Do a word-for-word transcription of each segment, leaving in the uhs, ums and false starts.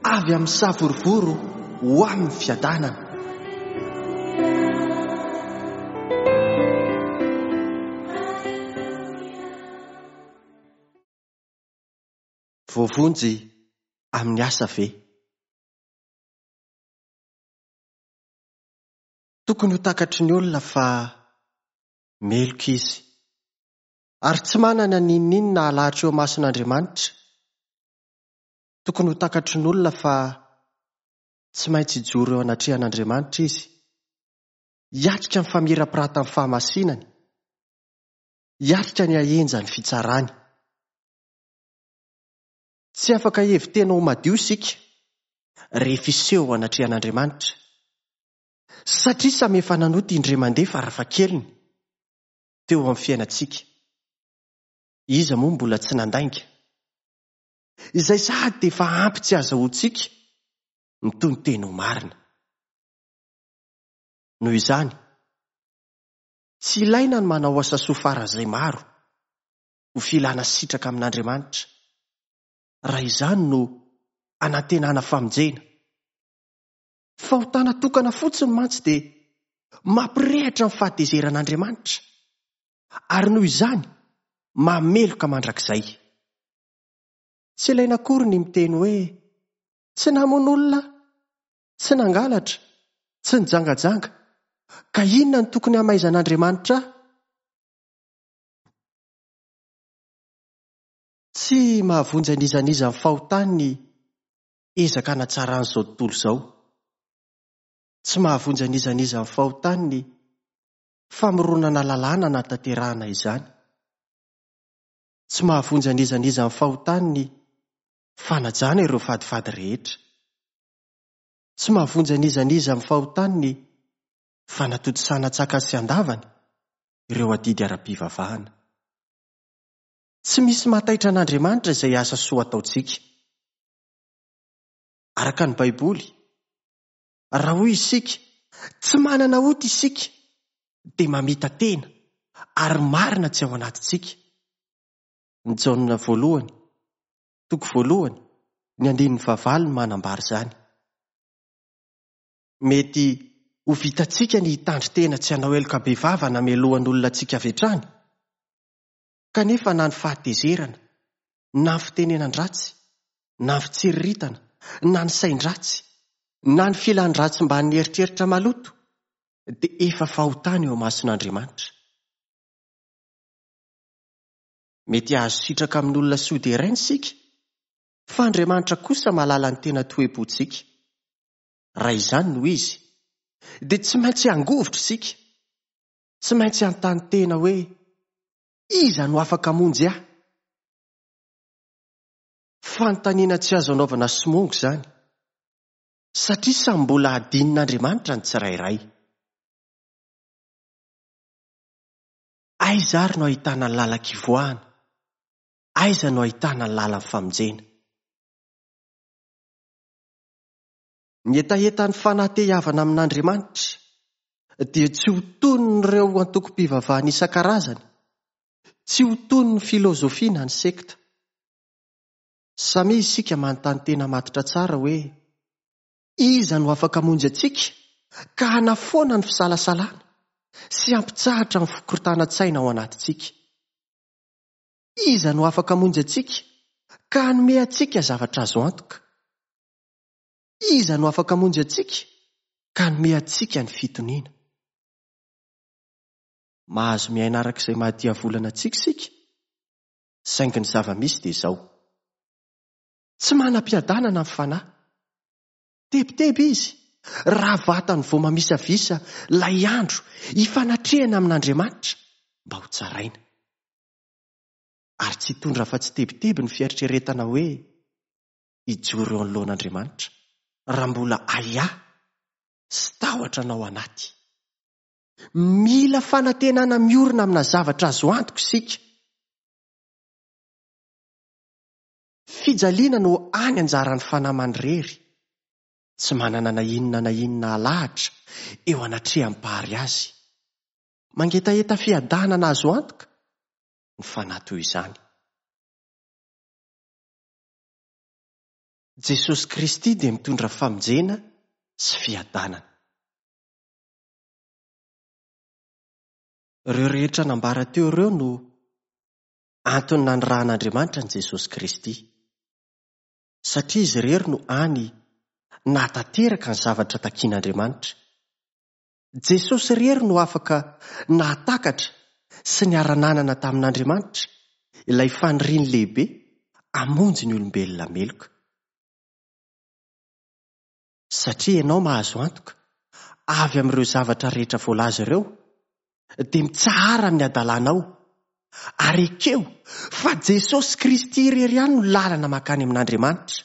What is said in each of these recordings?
Avy amin'ny savorovoro ho amin'ny fiadanana. Voavonjy amin'ny asa ve? Tokony ho takatry ny olona fa meloka izy, ary tsy manana n'inon'inona halahatra eo imason'Andriamanitra. Tokony ho takatry ny olona fa tsy maintsy hijoro eo anatrehan'Andriamanitra izy, hiatrika ny famirapiratan'ny fahamasinany, hiatrika ny hahenjan'ny fitsarany. Tsy afaka hevi-tena ho madio isika rehefa hiseho eo anatrehan'Andriamanitra, satria samy efa nanota indray mandeha farafahakeliny teo amin'ny fiainantsika. Iza moa mbola tsy nandainga? Izay sady dia efa ampy tsy azahoantsika mitono-tena ho marina. Noho izany, tsy ilaina ny manao asa soa faran'izay maro ho filana sitraka amin'Andriamanitra, raha izany no anantenana famonjena. Fahotana tokana fotsiny mantsy dia mampirehitra ny fahatezeran'Andriamanitra, ary noho izany mameloka mandrakizay. Tsy ilaina akory ny miteny hoe tsy namono olona, tsy nangalatra, tsy nijangajanga, ka inona no tokony hamaizan'Andriamanitra ahy? Tsy mahavonjy an'iza n'iza ny fahotany ny ezaka hanatsaran'izao tontolo izao. Tsy mahavonjy an'iza n'iza ny fahotany ny famoronana lalàna hanatanterahana izany. Tsy mahavonjy an'iza n'iza ny fahotany ny fanajana ireo fadifady rehetra. Tsy mahavonjy an'iza n'iza amin'ny fahotany ny fanatontosana an-tsakany sy an-davany ireo adidy ara-pivavahana. Tsy misy mahataitra an'Andriamanitra izay asa soa ataontsika. Araka ny Baiboly, raha hoy isika, tsy manana ota isika, dia mamita-tena ary marina tsy ao anatintsika. Ny Jaona voalohany, toko voalohany, ny andininy fahavalo no manambara izany. Mety ho vitantsika ny hitandrin-tena tsy hanao heloka bevava na melohan'olona antsika avy hatrany, kanefa na ny fahatezerana, na ny fitenenan-dratsy, na ny fitsiriritana, na ny sain-dratsy, na ny filan-dratsy mbamin'ny eritreritra maloto, dia efa fahotana eo imason'Andriamanitra. Mety hahazo sitraka amin'olona soa deraina isika, fa Andriamanitra kosa mahalala ny tena toe-pontsika. Raha izany no izy, dia tsy maintsy hangovitra isika, tsy maintsy hanontany tena hoe iza no afaka hamonjy ahy? Fanontaniana tsy azo anaovana somongo izany, satria samy mbola hadinin'Andriamanitra ny tsirairay. Aiza ary no ahitana ny lalan-kivoahana? Aiza no ahitana ny lalan'ny famonjena? Ny hetahetan'ny fanahy te hihavana amin'Andriamanitra dia tsy ho tonin'ireo antokom-pivavahana isan-karazany, tsy ho tonin'ny filozofia na ny sekta. Samia isika manontany tena matotra tsara hoe iza no afaka hamonjy antsika ka hanafoana ny fisalasalana sy hampitsahatra ny fikorontanan-tsaina ao anatintsika? Iza no afaka hamonjy antsika ka hanome antsika zavatra azo antoka? Iza no afaka hamonjy antsika ka hanome antsika ny fitoniana? Mahazo miaina araka izay mahadiavolana antsika isika, saingy ny zava-misy dia izao. Tsy manam-piadanana ny fanahy. Tebiteby izy raha vatany vao mamisavisa ilay andro hifanatrehana amin'Andriamanitra mba ho tsaraina. Ary tsy hitondra afa-tsy tebiteby ny fieritreretana hoe hijoro eo anoloan'Andriamanitra raha mbola ahiahy sy tahotra anao anaty. Mila fanantenana miorina amina zavatra azo antoka isika. Fijaliana no any anjaran'ny fanahy manirery, tsy manana na inona na inona halahatra eo anatrehan'ny mpahary azy. Mangetaheta fiadanana azo antoka ny fanahy toy izany. Jesosy Kristy dia mitondra famonjena sy fiadanana. Ireo rehetra nambara teo ireo no antony nanirahan'Andriamanitra an'i Jesosy Kristy. Satria izy irery no hany nahatanteraka ny zavatra takian'Andriamanitra. Jesosy irery no afaka nahatakatra sy niara-nanana tamin'Andriamanitra ilay faniriany lehibe hamonjy ny olombelona meloka. Satria ianao mahazo antoka avy amin'ireo zavatra rehetra voalaza ireo, dia mitsahara amin'ny adalanao ary ekeo fa Jesosy Kristy irery ihany no lalana mankany amin'Andriamanitra.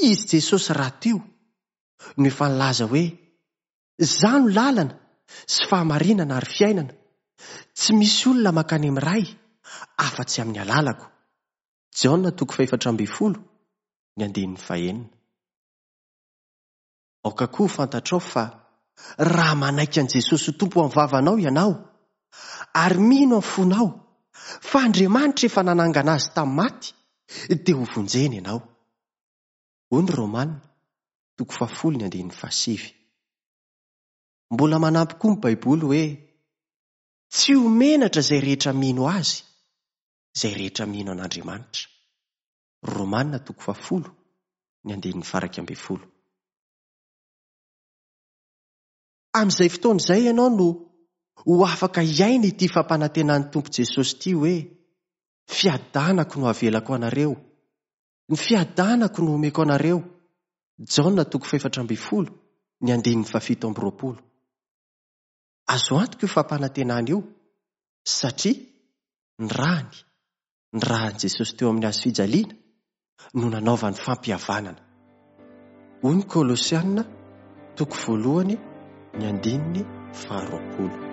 Izy Jesosy rahateo no efa nilaza hoe Izaho no lalana sy fahamarinana ary fiainana. Tsy misy olona mankany amin'ny Ray afa-tsy amin'ny alalako. Jaona toko fahefatra ambin'ny folo, ny andininy fahenina. Aoka koa ho fantatrao fa raha manaiky an'i Jesosy ho Tompo amin'ny vavanao ianao ary mino amin'ny fonao fa Andriamanitra efa nanangana azy tamin'ny maty, dia ho vonjena ianao. Hoy ny Romana, toko fahafolo ny andininy fahasivy. Mbola manampy koa ny Baiboly hoe tsy ho menatra izay rehetra mino azy, izay rehetra mino an'Andriamanitra. Romana toko fahafolo ny andininy faha-iraika ambin'ny folo. Amin'izay fotoana izay ianao no ho afaka hiaina ity fampanantenan'ny Tompo Jesosy ity hoe fiadanako no avelako anareo, ny fiadanako no omeko anareo. Jaona toko fahefatra ambin'ny folo ny andininy fahafito amby roapolo. Azo antoka io fampanantenana io satria ny rany, ny ran'i Jesosy teo amin'ny hazo fijaliana no nanaovany fampihavanana. Hoy ny Kolosiana toko voalohany ny andininy faharoapolo.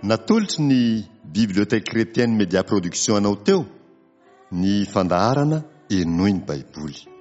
Natolotry ny Bibliothèque Chrétienne Média Production anao teo ny fandaharana Henoy ny Baiboly.